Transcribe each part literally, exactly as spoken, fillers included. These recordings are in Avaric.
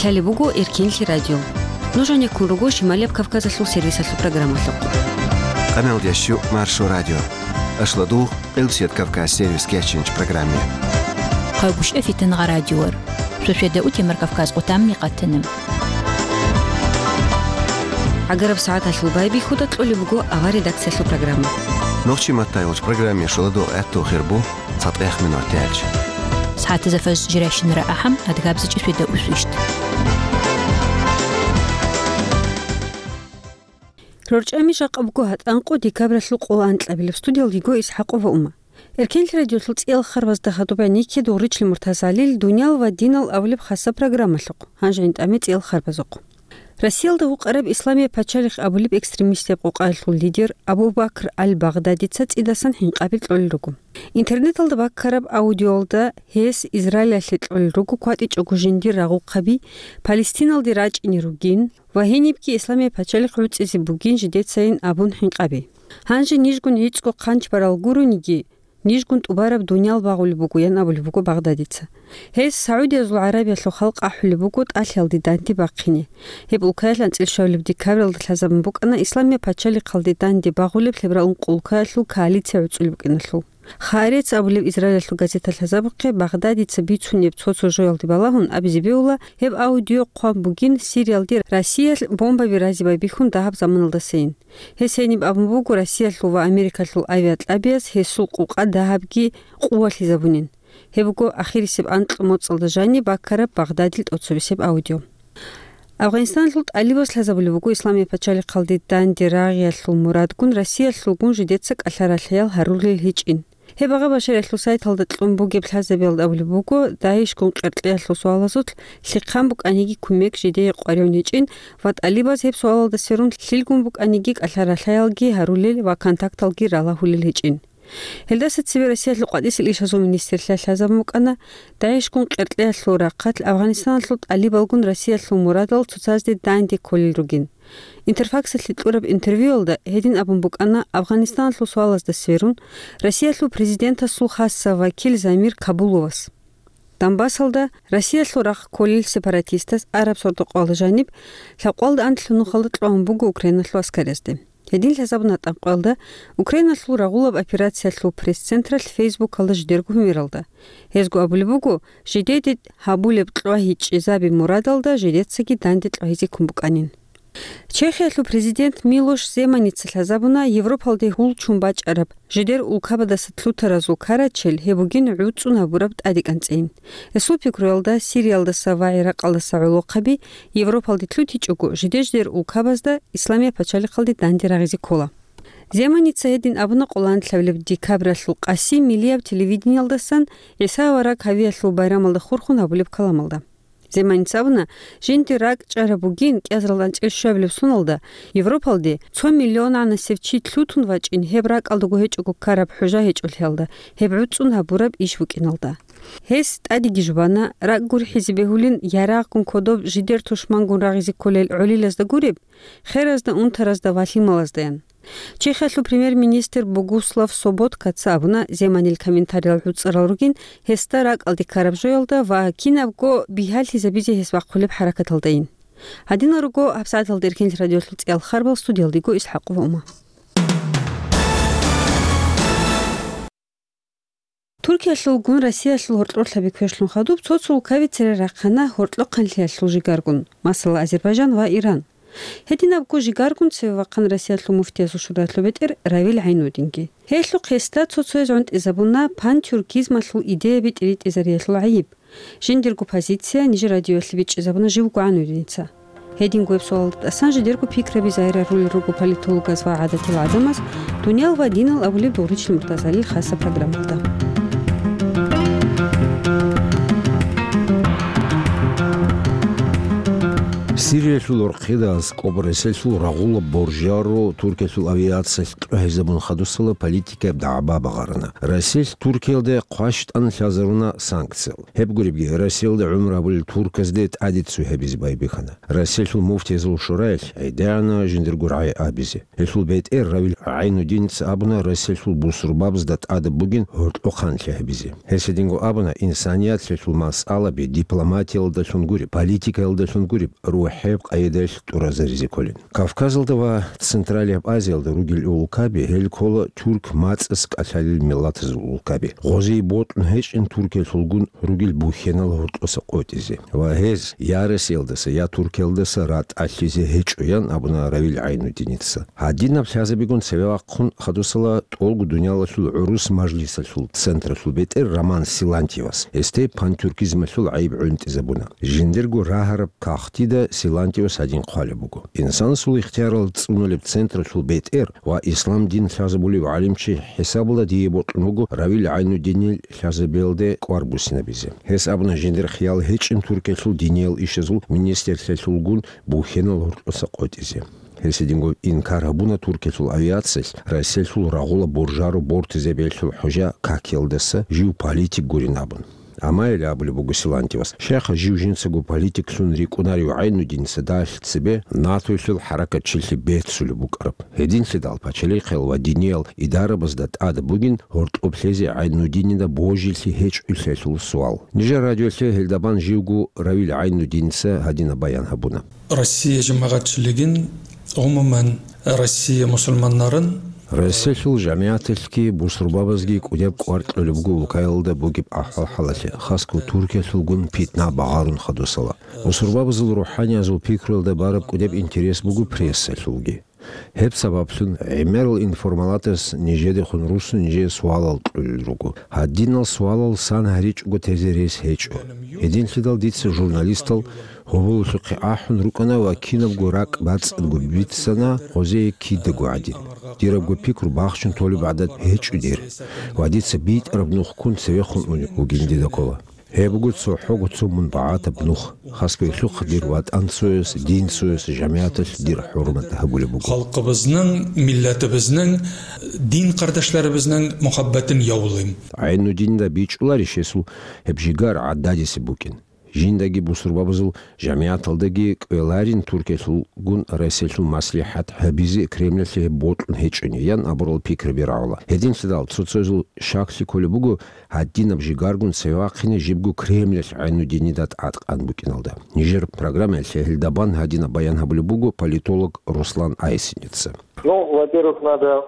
Лъалеб буго Эркенлъи радио. Нуж гьанеккун руго Шималияб Кавказалъул сервисалъул программалъухъ. Къаналдящу Маршо радио. Ашладугъ, Къилбсият Кавказ сервис кечинч программе. Хъайгуща фитангъа радиор. Шошеда утемар Кавказ къутамни къатанам. ГӀагараб сагӀаталъул байбихьуда кьолеб буго авар редакциялъул программа. Нохчи матайулч программе шоладугъ гӀатту хирбу. ЦатӀех минуталъ. СагӀатазда фажр жирайщинара ахӀам, адгабзичӀи шведа усвищ. РорчӀами жакъа буго гьатӀанкъо декабралъул къоло анкьабилеб, студиялда йиго ИсхӀакъова Ума. Эркенлъи радиолъул цӀиял харбазда хадуб гӀенекке Дугъричил Муртазалил «Дуниял ва динал» абулеб хасаб программалъухъ, гьанже гӀинтӀаме цӀиял харбазухъ. Россиялда гьукъараб Исламияб пачалихъ абулеб экстремистияб къокъаялъул лидер Абу Бакр аль-Багъдадица цӀидасан хӀинкъаби кьолел руго. Интернеталда баккараб аудиоялда гьес Израилалъе кьолел руго кватӀичӀого жиндир рагъухъаби, Палестиналде рачӀине ругин ва гьенибги Исламияб пачалихъ гӀуцӀизе бугин жидецайин абун хӀинкъаби. Гьанже нижгун гӀицӀго хъанч барал гурониги, нижгун тӀубараб дуниял багъулеб буго, ян абулеб буго Багъдадица. Гьес Саудиязул ГӀарабиялъул халкъ ахӀулеб буго тӀалъиялде данде бахъине. Гьеб улкаялъ анцӀила щуабилеб декабралда лъазабун букӀана Исламияб пачалихъалде данде багъулеб лъеберал ункъо улкаялъул коалиция гӀуцӀулеб букӀиналъул. Хаарец абулеб Израилалъул газета лъазабухъе Багъдадица бицунеб цо-цо жоялде балагьун абизе бегьула, гьеб аудио хъван бугин Сириялде Россиялъ бомбаби разе байбихьун дагьаб заманалдасайин. Гьес гьениб абун буго Россиялъул ва Америкалъул авиакьабияс гьесул къукъа дагьабги къувалъизабунин. Гьеб буго ахирисеб анкьго моцӀалда жаниб баккараб Багъдадил тӀоцебесеб аудио. Афганистаналъул тӀалибаз лъазабулеб буго Исламияб пачалихъалде данде рагъиялъул мурадгун Россиялъулгун жидеца кӀалъа-ралъаял гьарулел гьечӀин. Гьеб агъа Башариялъул сайталда кьун бугеб лъазабиялда абулеб буго, ДАИШгун къеркьеялъул суалазулъ лъихъан букӀаниги кумек жидее къваригӀун гьечӀин ва тӀалибаз гьеб суалалда сверун лъилгун букӀаниги кӀалъа-ралъаялги гьарулел ва контакталги ралагьулел гьечӀин. Гьелдаса цебе Россиялъул къватӀисел ишазул министрлъа лъазабун букӀана, ДАИШгун къеркьеялъул рахъалъ Афганистаналъул тӀалибалгун Россиялъул мурадал цоцазде данде кколел ругин. Интерфаксалъе кьураб интервьюялда гьедин абун букӀана Афганистаналъул суалазда сверун Россиялъул президентасул хасса вакил Замир Кабуловас. Донбассалда Россиялъул рахъ кколел сепаратистаз араб сордо-къоялда жаниб лъабкъоялда анлъго нухалда кьван буго Украиналъул аскарязде. Гьедин лъазабуна тӀанкъоялда Украиналъул рагъулаб операциялъул пресс-централъ Фейсбукалда жидерго гьумералда. Гьезго абулеб буго, жидеде гьабулеб кьвагьичӀезаби мурадалда жидецаги данде кьвагьизе ккун букӀанин. Чехиялъул президент Милош Земаница лъазабуна Европалде гьул ччун бачӀараб жидер улкабадаса лъутаразул карачел гьеб бугин гӀуцӀун гьабураб тӀадекӀанцӀейин. Гьесул пикруялда, Сириялдаса ва ГӀиракъалдаса гӀолохъаби Европалде лъутичӀого, жидер-жидер улкабазда Исламияб пачалихъалде данде рагъизе ккола. Земаница гьедин абуна къоло анлъабилеб декабралъул къаси миллияб телевидениялдасан ГӀиса авараг гьавиялъул байрамалда хурхун гьабулеб каламалда. Земаница абуна, жинди ракӀ чӀараб бугин кӀиазаралда анцӀила щуабилеб соналда Европалде цо миллионанасев чи лъутун вачӀин гьеб ракӀалдаго гьечӀого ккараб хӀужа гьечӀолъиялда, гьеб гӀуцӀун гьабураб иш букӀиналда. Гьес тӀадеги жубана, ракӀ гурхӀизе бегьулин ярагъгун кодоб жидер тушмангун рагъизе кколел гӀолилазда гуреб, херазда, унтаразда ва лъималаздаян. Чехиялъул премьер-министр Богуслав Соботкаца абуна, Земанил комментариял гӀуцӀарал ругин гьесда ракӀалде ккараб жоялда ва кинабго бигьалъизабизе гьес бахъулеб хӀаракаталдайин. Гьадинал руго гьабсагӀаталда Эркенлъи радиолъул цӀиял харбал, студиялда йиго ИсхӀакъова Ума. Туркиялъулгун Россиялъул гьоркьорлъаби квешлъун хадуб цо-цо улкаби цере рахъана гьоркьохъанлъиялъул жигаргун, масала, Азербайжан ва Иран. Гьединабго жигаргун цеве вахъана Россиялъул муфтиязул шуралъул бетӀер Равил ГӀайнудинги. Гьелъухъ гьесда цо-цояз гӀунтӀизабуна пантюркизмалъул идеяби тӀиритӀизариялъул гӀайиб. Жиндирго позиция нижер радиоялъе бичӀчӀизабуна жив ГӀайнудиница. Гьединго гьеб суалда тӀасан жидерго пикраби загьирарулел руго политологаз ва гӀадатил гӀадамаз «Дуниял ва динал» абулеб Дугъричил Муртазалил хасаб программалда. Сириялъул рохида аскӀоб Россиялъул рагъула боржаро Туркиялъул авиациялъ кьвагьизабун хадусала политикаяб дагӀба багъарана. Россиялъ Туркиялде хъващтӀан лъазаруна санкциял. Гьеб гуребги, Россиялда гӀумру гьабулел турказде тӀаде цо гьабизе байбихьана. Россиялъул муфтиязул шураялъ гӀедегӀана жиндирго рагӀи абизе. Гьелъул бетӀер Равил ГӀайнудиница абуна Россиялъул бусурбабазда тӀадаб бугин гьоркьохъанлъи гьабизе. Гьес гьединго абуна, инсаният лъелъул масъалаби дипломатиялдалъун гуреб, политикаялдалъун гуреб, рухӀеб къайдаялъ тӀуразаризе кколин. Кавказалда ва Централияб Азиялда ругел улкаби, гьел ккола тюрк мацӀас кӀалъалел миллатазул улкаби. Гъозие бокьун гьечӀин Туркиялъулгун ругел бухьенал гьоркьоса къотӀизе ва гьез я Россиялдаса, я Туркиялдаса ратӀалъизе гьечӀо, ян абуна Равил ГӀайнудиница. Гьадинаб лъазабигун цеве вахъун хадусала тӀолго дуниялалъул гӀурус мажлисалъул централъул бетӀер Роман Силантьевас гьесде пантюркизмалъул гӀайиб гӀунтӀизабуна. Жиндирго рагьараб кагътида Силантьевас гьадин хъвалеб буго: «Инсанасул ихтиярал цӀунулеб централъул бетӀер ва ислам дин лъазабулев гӀалимчи хӀисабалда дие бокьун вуго Равил ГӀайнудинил лъазабиялде кӀвар буссинабизе». Гьес абуна, жиндир хиял гьечӀин Туркиялъул диниял ишазул министрлъиялъулгун бухьенал гьоркьоса къотӀизе. Гьес гьединго инкар гьабуна Туркиялъул авиациялъ Россиялъул рагъула боржаро бортизе бегьлъул хӀужа какиялдаса жив политик гурин абун. Амма гьеле абулеб буго Силантьевас: «Щайха жив жинцаго политиклъун рикӀкӀунарев ГӀайнудиница далъ цебе НАТОялъул хӀаракатчилъи беццулеб букӀараб? Гьединлъидал пачалихъал ва диниял идарабазда тӀадаб бугин гьоркьоб лъезе ГӀайнудинида божилъи гьечӀолъиялъул суал». Нижер радиоялъе гьелда бан живго Равил ГӀайнудиница гьадинаб баян гьабуна. Россия жамагӀатчилигин, гӀумуман, Россия мусульманнарын. Россиялъул жамигӀаталъги бусурбабазги кӀудеб кӀвар кьолеб буго улкаялда бугеб ахӀвал-хӀалалъе, хасго Туркиялъулгун питна багъарун хадусала. Бусурбабазул рухӀаниязул пикруялда бараб кӀудеб интерес буго прессалъулги. Гьеб сабаблъун гӀемерал информалатас нижедехун руссун нижее суалал кьолел руго. Гьадинал суалал сан гьаричӀого тезе рес гьечӀо. Гьединлъидал дица журналистал гьоболлъухъе ахӀун рукӀана ва кинабго ракӀ бацӀцӀадго бицана гъозие кидаго гӀадин. Дирабго пикру бахчун толеб гӀадат гьечӀо дир, ва дица битӀараб нух ккун цевехун унеб бугин дида ккола. Гьеб буго цохӀого цо мун багӀатаб нух, хасго гьелъухъ дир ватӀан цояс, дин цояс, жамигӀаталъ дир хӀурмат гьабулеб буго. Халкъабазнан, миллатабазнан, дин къардашларабазнан мухаббатин явлим. ГӀайнудинда бичӀчӀуларищ гьесул гьеб жигар гӀададисеб букӀин? Жиндаги бусурбабазул жамигӀаталдаги кӀвеларин Туркиялъулгун Россиялъул маслихӀат гьабизе Кремлалъе гьеб бокьун гьечӀони, ян абурал пикраби рагӀула. Гьединлъидал цо-цоязул щаклъи кколеб буго гьадинаб жигаргун цеве вахъине жибго Кремлалъ ГӀайнудинида тӀадкъан букӀиналда. Нижер программаялъе гьелда бан гьадинаб баян гьабулеб буго политолог Руслан Айсиница. Ну, во-первых, надо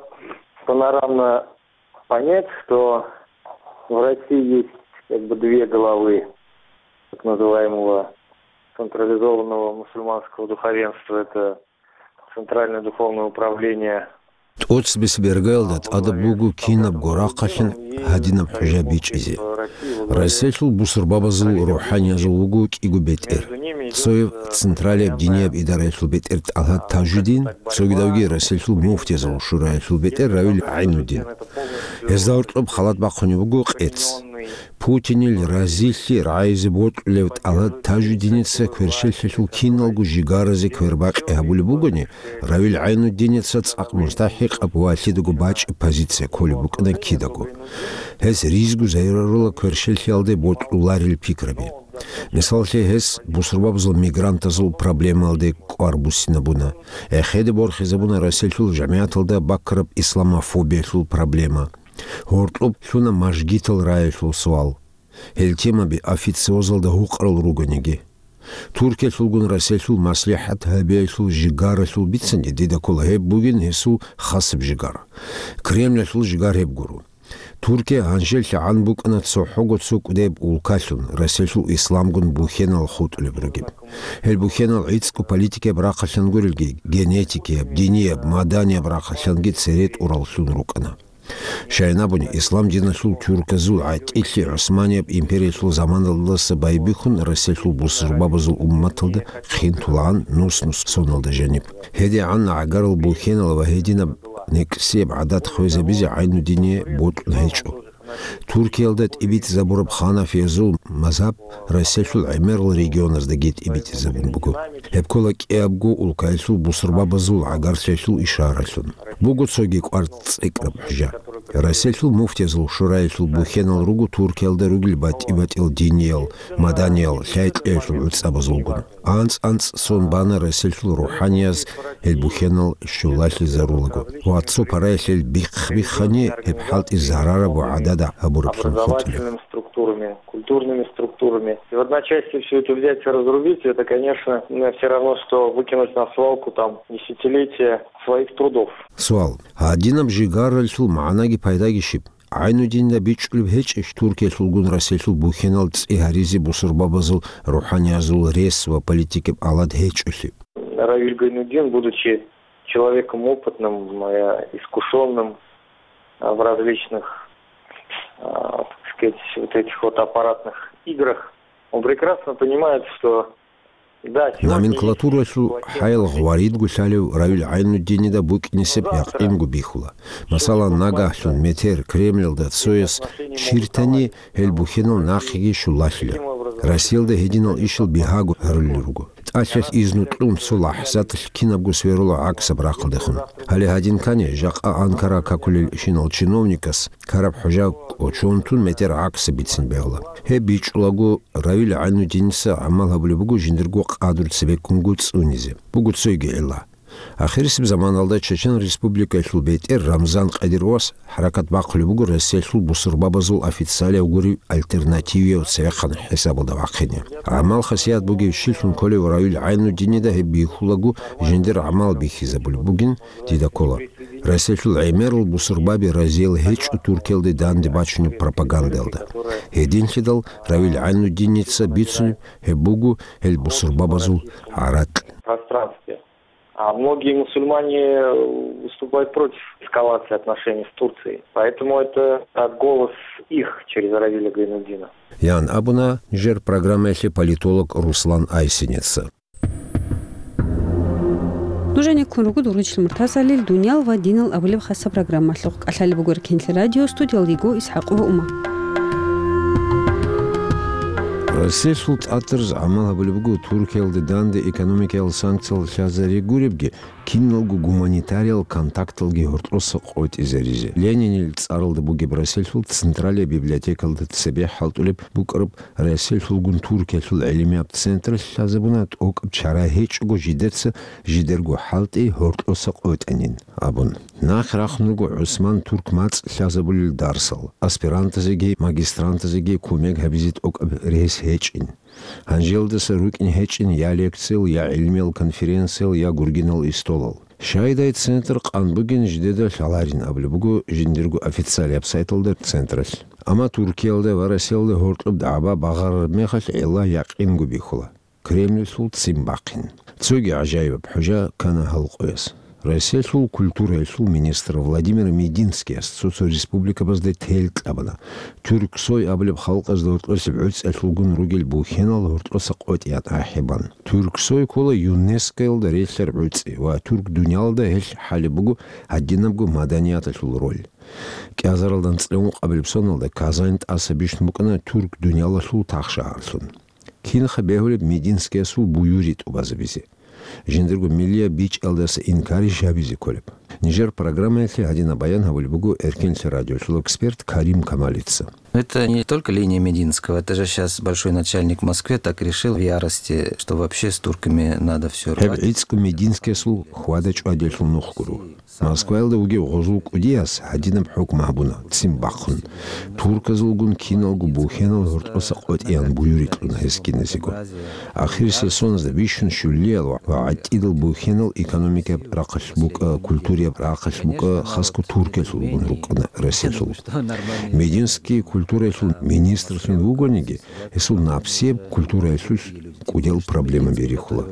панорамно понять, что в России есть как бы две главы так называемого централизованного мусульманского духовенства. Это Центральное духовное управление. ТӀоцебесеб иргаялда тӀадаб буго кинабго рахъалъин гьадинаб хӀужа бичӀчӀизе. Россиялъул бусурбабазул рухӀаниязул вуго кӀиго бетӀер. Цояв централияб динияб идараялъул бетӀер ТӀалгьат Тажудин, цогидавги Россиялъул муфтиязул шураялъул бетӀер Равил ГӀайнудин. Гьезда гьоркьоб халат бахъунеб буго къец. Путинил разилъи рагӀизе бокьулев ТӀалгьат Тажудиница кверщелъалъул киналго жигаразе квербакъи гьабулеб бугони, Равил ГӀайнудиница цӀакъ мустахӀикъаб ва лъидаго бачӀеб позиция кколеб букӀана кидаго. Гьес ризго зарарала кверщелъиялде бокьуларел пикраби. Мисаллъи, гьес бусурбабазул мигрантазул проблемалде кӀвар буссинабуна. ГӀехеде борхизабуна Россиялъул жамигӀаталда баккараб исламофобиялъул проблема. Гьоркьоб лъуна мажгитал раялъул суал. Гьел темаби официозалда гьукъарал ругониги. Туркиялъулгун Россиялъул маслихӀат гьабиялъул жигаралъул бицани дида ккола гьеб бугин гьесул хасаб жигар. Кремлалъул жигар гьеб гуро. Туркия гьанжеллъи гӀан букӀана цохӀого цо кӀудеб улкалъун, Россиялъул исламгун бухьенал хутӀулеб ругеб. Гьел бухьенал гӀицӀго политикаяб рахъалъан гурелги, генетикияб, динияб, маданияб рахъалъанги цере тӀураллъун рукӀана. Щайин абуни, ислам диналъул тюрказул гӀатӀилъи ГӀусманияб империялъул заманалдаса байбихьун Россиялъул бусурбабазул умматалда хъин тулагӀан нус-нус соналда жаниб. ГьедигӀан гӀагарал бухьенал ва гьединаб некӀсияб гӀадат хвезабизе ГӀайнудине бокьун гьечӀо. Туркиялда тӀибитӀизабураб ханафиязул мазгьаб Россиялъул гӀемерал регионаздаги тӀибитӀизабун буго. Гьеб ккола кӀиябго улкаялъул бусурбабазул гӀагарлъиялъул ишаралъун. Буго цоги кӀвар цӀикӀкӀараб хӀужа. Россиялъул муфтиязул шураялъул бухьенал руго Туркиялда ругел батӀи-батӀиял диниял, маданиял, лъай-кьеялъул гӀуцӀабазулгун. АнцӀ-анцӀ сон бана Россиялъул рухӀанияз гьел бухьенал щулалъизарулаго ва цо параялъ гьел бихъ-биххани гьеб хӀалтӀи зарараб ва гӀадада гьабураблъун хутӀулеб. Структурами, культурными структурами. И в одночасье всё это взять и разрубить, это, конечно, все равно, что выкинуть на свалку там десятилетия своих трудов. Суал. Гьадинаб жигаралъул магӀнаги пайдаги щиб? ГӀайнудинда бичӀчӀулеб гьечӀищ Туркиялъулгун Россиялъул бухьенал цӀи гьаризе бусурбабазул рухӀаниязул рес ва политикаб алад гьечӀолъи? Равиль Гайнудин, будучи человеком опытным, э, искушённым, э, в различных, э, так сказать, вот этих вот аппаратных играх, он прекрасно понимает, что, да, сегодня есть... Номенклатуралъул хӀаял гъваридго лъалев Равил ГӀайнуддинида букӀинисеб якъинго бихьула. Масала, нагагьлъун метер Кремльалда цояс чиртани, гьел бухьенал нахъеги щулалъила. Россиялда гьединал ишал бигьаго гьарулел руго. ТӀалъалъ изну кьун цо лахӀзаталъ кинабго сверула гӀаксаб рахъалдехун. Гьале гьадин ккани, жакъа Анкара какулелщинал чиновникас караб хӀужа кӀочон тун метер гӀаксаб бицин бегьула. Гьеб бичӀчӀулаго, Равил ГӀайнуддиница гӀамал гьабулеб буго жиндирго къадру цебеккунго цӀунизе. Буго цойги гӀилла. Ахирисеб заманалда Чечен Республикаялъул бетӀер Рамзан Кадыровас хӀаракат бахъулеб буго Россиялъул бусурбабазул официалияв гуреб альтернативияв цевехъан хӀисабалда вахъине. ГӀамал-хасият бугев чилъун кколев Равил ГӀайнуддинида гьеб бихьулаго жиндир гӀамал бихьизабулеб бугин дида ккола. Россиялъул гӀемерал бусурбаби разиял гьечӀо Туркиялде данде бачунеб пропагандаялда. Гьединлъидал Равил ГӀайнуддиница бицунеб гьеб буго гьел бусурбабазул гӀаракь. Пространстве. А многие мусульмане, э, выступают против эскалации отношений с Турцией. Поэтому это, э, голос их через Равиля Гайнуддина. Ян абуна нижер программаялъе политолог Руслан Айсинеца. Нуж гьанеккун руго дур вугев Муртазалил «Дуниял ва динал» абулеб хасаб программалъухъ. КӀалъалеб буго Эркенлъи радио, студиялда йиго ИсхӀакъова Ума. Россиялъул тӀатараз гӀамал гьабулеб буго Туркиялда данде экономикаял санкциял лъазари гуребги, киналго гуманитариял контакталги гьоркьоса къотӀизаризе. Ленинил цӀаралда бугеб Россиялъул Централияб библиотекалда цебе хӀалтӀулеб букӀараб Россиялъулгун Туркиялъул гӀелимияб центр лъазабуна, тӀокӀаб чара гьечӀого жидеца жидерго хӀалтӀи гьоркьоса къотӀанин абун. Нахъ рахун руго ГӀусман Турк мацӀ лъазабулел дарсал, аспирантазеги магистрантазеги кумек гьабизе тӀокӀаб рес гьечӀин. Гьанжелдаса рукӀин гьечӀин я лекциял, я гӀилмиял конференциял, я гургинал истолал. Щайдай центр къан бугин, жидеда лъаларин абулеб буго жиндирго официалияб сайталда централъ. Амма Туркиялда ва Россиялда гьоркьоб дагӀба багъарараб мехалъ гӀилла якъинго бихьула: Кремльлъул ццин бахъин. Цоги гӀажаибаб хӀужа ккана гьал къояс. Россиялъул культураялъул министр Владимир Мединскияс цо-цо республикабазда тел кьабана, Тюрксой абулеб халкъазда гьоркьосеб гӀуцӀиялъулгун ругел бухьенал гьоркьоса къотӀияб ахӀи бан. Тюрксой ккола ЮНЕСКОялда релълъараб гӀуцӀи ва тюрк дуниялалда гьелъ хӀалеб буго гьадинабго маданияталъул роль. КӀиазаралда анцӀила ункъабилеб соналда Казань тӀаса бищун букӀана тюрк дуниялалъул тахшагьарлъун. Кинха бегьулеб Мединскиясул буюри тӀубазабизе? Жиндирго миллияб бичӀчӀиялдаса инкарищ гьабизе кколеб? Нижер программаялъе гьадинаб баян гьабулеб буго Эркенлъи радиолъул эксперт Карим Камалица. Это не только линия Мединского, это же щас большой начальник в Москве так решил в ярости, что вообще с турками надо всё рвать. Гьеб гӀицӀго Мединскиясул хьвада-чӀвадиялъул нух гуро. Москваялда вугев гъозул кӀудияс гьадинаб хӀукму гьабуна, ццин бахъун, турказулгун киналго бухьенал гьоркьоса къотӀиян буюри кьуна гьес киназего. Ахирисеб соназда бищун щулиял ва гӀатӀидал бухьенал экономикаяб рахъалъ букӀа, культураяб рахъалъ букӀа, хасго Туркиялъулгун рукӀана Россиялъул. Мединский культураялъул министрлъун вугониги, гьесул напсияб культураялъулъ кӀудиял проблемаби рихьула.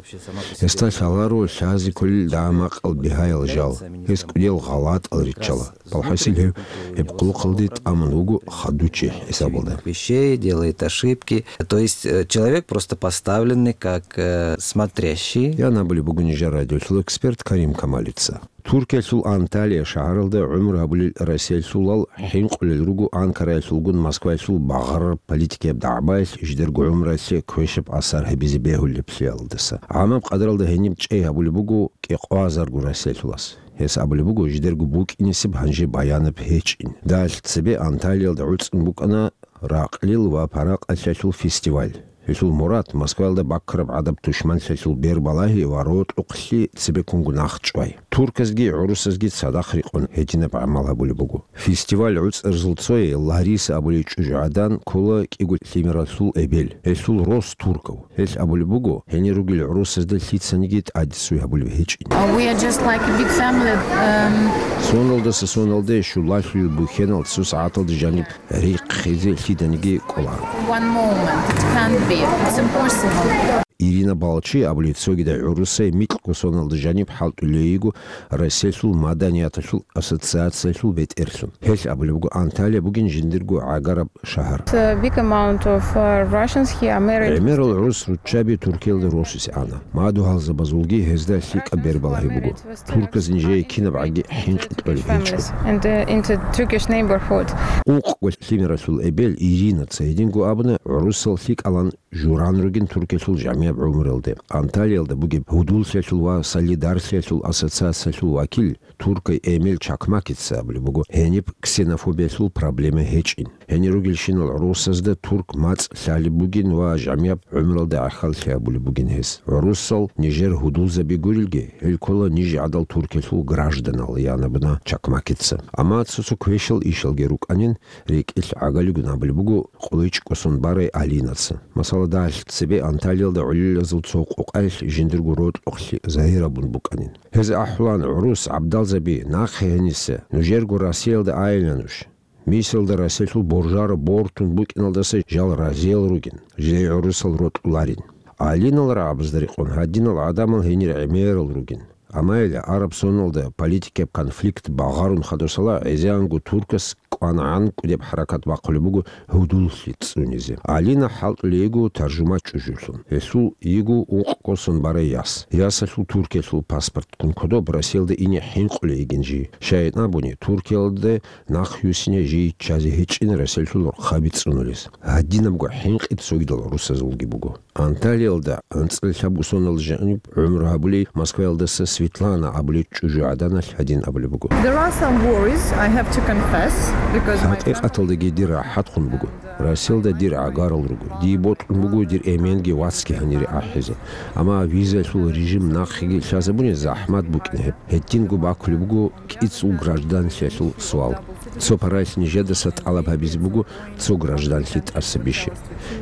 Гьесда лъаларо лъазе кколел дагӀа-макъал бигьаял жал, гьес кӀудиял гъалатӀал риччала. Балхасил гьев гьеб къулухъалде тӀамун вуго хадучи хӀисабалда. Вещей, делает ошибки. То есть, э, человек просто поставленный как, э, смотрящий. Ян абулеб буго нижер радиолъул эксперт Карим Камалица. Туркиялъул Анталия шагьаралда гӀумру гьабулел расиялъулал хӀинкъулел руго Анкараялъулгун Москваялъул багъараб политикияб дагӀбаялъ жидерго гӀумруялъе квешаб асар гьабизе бегьулеблъиялдаса. ГӀамаб къадаралда гьениб чӀей гьабулеб буго кӀикъоязарго расиялъулас. Гьес абулеб буго, жидерго букӀинесеб гьанже баянаб гьечӀин. Далъ цебе Анталиялда гӀуцӀун букӀана ракълил ва паракъалъиялъул фестиваль. Гьелъул мурад Москваялда баккараб гӀадаб тушманлъиялъул бербалагьи ва рокьукълъи цебеккунго нахъчӀвай. Турказги гӀурусазги цадахъ рекъон гьединаб гӀамал гьабулеб буго. Фестиваль гӀуцӀарзул цое Лариса абулей чӀужугӀадан ккола кӀиго лъимералъул эбел. Гьелъул рос туркав. Гьелъ абулеб буго, гьенир ругел гӀурусазда лъицаниги тӀадисуй гьабулеб гьечӀин. Uh, we are just like a big family. Um, Соналдаса соналде щулалъулел бухьенал цо сагӀаталда жаниб риххизе лъиданиги кӀоларо. One moment. It can't be. It's impossible. Ирина Балчи абулей цогидай гӀурусай микьго соналда жаниб хӀалтӀулей йиго Россиялъул маданияталъул ассоциациялъул бетӀерлъун. Гьелъ абулеб буго, Анталия бугин жиндирго гӀагараб шагьар. It's a big amount of, uh, Russians here are married. ГӀемерал гӀурус руччаби Туркиялда росизе ана. Мадугьалзабазулги гьезда лъикӀаб бербалагьи буго. Турказ нижее кинабгӀаги хӀинкъи кьолеб гьечӀо. And, uh, into Turkish neighborhood. Ункъго лъимералъул эбел Иринаца гьединго абуна, гӀурусал лъикӀалан журан ругин Туркиялъул жамигӀаб гӀумруялде. Анталиялда бугеб гьудуллъиялъул ва солидаритлъиялъул ассоциациялъул вакил туркай Эмил Чакмакица абулеб буго, гьениб ксенофобиялъул проблема гьечӀин. Гьенир ругелщинал гӀурусазда турк мацӀ лъалеб бугин ва жамигӀаб гӀумруялда гӀахьаллъи гьабулеб бугин гьес. ГӀурусал нижер гьудулзаби гурелги, гьел ккола ниж гӀадал Туркиялъул гражданал, ян абуна Чакмакица. Амма цо-цо квешал ишалги рукӀанин, рекӀелъ гӀагалигун абулеб буго КъойчӀкӀосун барай Алинаца. Масала, далъ цебе Анталиялда гӀолилазул цо къокъаялъ жиндирго рокьукълъи загьир гьабун букӀанин. Гьез ахӀулан гӀурус гӀабдалзаби, нахъе гьениса, нужерго Россиялда айила нуж. Мисалда, Россиялъул боржаро бортун букӀиналдаса жал разиял ругин, жидее гӀурусал рокьуларин. Алинал рагӀабазда рекъон гьадинал гӀадамал гьенир гӀемерал ругин. Амма гьеле араб соналда политикияб конфликт багъарун хадусала гӀезегӀанго туркас кӀванагӀан кӀудеб хӀаракат бахъулеб буго гьудуллъи цӀунизе. Алина хӀалтӀулей йиго таржумач чӀужулъун. Гьелъул йиго ункъкӀосун барай яс. Ясалъул Туркиялъул паспорт ккун кодоб Россиялда ине хӀинкъулей йигин жий. Щайин абуни, Туркиялда нахъюсине жий ччазе гьечӀин Россиялъул рохъаби цӀунулес. Гьадинабго хӀинкъи цогидал гӀурусазулги буго. Анталиялда анцӀила лъабго соналда жаниб гӀумру гьабулей Москваялдаса Светлана абулей чӀужугӀаданалъ гьадин абулеб буго. There are some worries, I have to confess, because my ХӀакъикъаталдаги дир рахӀатхъун буго. Россиялда дир гӀагарал руго. Дие бокьун буго дир эменги вацги гьанире ахӀизе. Амма визаялъул режим нахъеги лъазабуни захӀмат букӀин гьеб. Гьединго бакулеб буго кӀицӀул гражданлъиялъул суал. Цо паралъ нижедаса тӀалаб гьабизе буго цо гражданлъи тӀаса бише.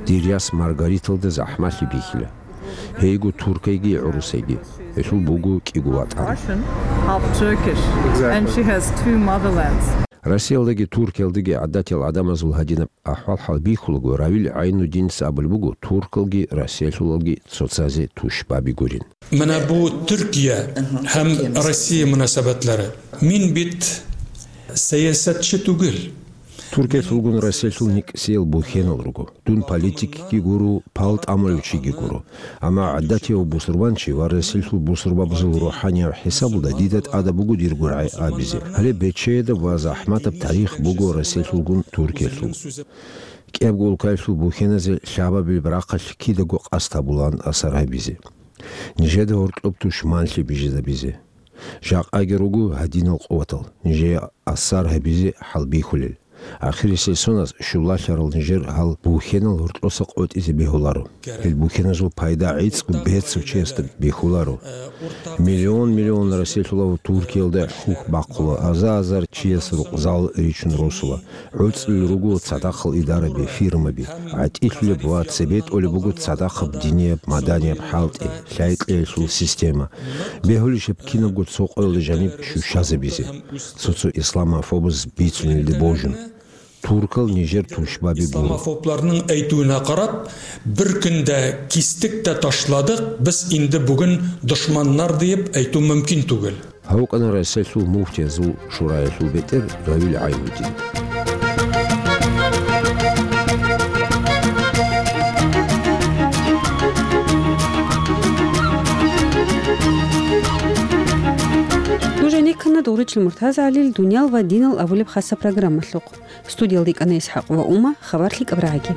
Дир яс Маргариталда захӀмалъи бихьила. Гьейго туркайги гӀурусайги. Гьелъул буго кӀиго ватӀан. Russian, half Turkish, and she has two motherlands. Россиялдаги Туркиялдаги гӀадатиял гӀадамазул гьадинаб ахӀвал-хӀал бихьулаго, Равил ГӀайнуддиница абулеб буго, туркалги россиялъулалги цоцазе тушбаби гурин. Мана бу Туркия гьам Россия мунасабатлара. Мин бит сиясатчи тугел. Туркиялъулгун Россиялъул никӀсиял бухьенал руго. Дун политикги гуро, пал тӀамулев чиги гуро. Амма гӀадатияв бусурбанчи ва Россиялъул бусурбабазул рухӀанияб хӀисабалда дида тӀада буго дир гургӀай абизе. Гьале бечедаб ва захӀматаб тарих буго Россиялъулгун Туркиялъул. КӀиябго улкаялъул бухьеназе лъабабилеб рахъалъ кидаго къасд гьабулаан асар гьабизе. Нижеда гьоркьоб тушманлъи бижизабизе. Жакъаги руго гьадинал къуватал, нижее асар гьабизе хӀалбихьулел. Ахирисел соназ щулалъарал нижер гьал бухьенал гьоркьоса къотӀизе бегьуларо. Гьел бухьеназул пайда гӀицӀго бецав чиясда бихьуларо. Миллион-миллион Россиялъулав Туркиялда хьухь бахъула, азар-азар чияс рукъзал ричун росула. ГӀуцӀулел руго цадахъал идараби, фирмаби, гӀатӀилъулеб ва цебетӀолеб буго цадахъаб динияб, маданияб хӀалтӀи, лъай-кьеялъул система. Бегьулищеб кинабго цо къоялда жаниб щущазабизе, цо-цо исламофобаз бицунелде божун. Туркал нижер тушбаби гуро. Исламофобларның әйтүенә карап, бер көндә кистек тә ташладык, без инде бүген дошманнар диеп әйтү мөмкин түгел. Гьав вукӀана Россиялъул муфтиязул шураялъул бетӀер Равил ГӀайнудин. Нуженик Муртаза ГӀалил «Дуниял ва динал» абулеб хасаб программалъухъ. Студиялда йикӀана ИсхӀакъ ва Ума, хабар лъикӀаб рагӀаги.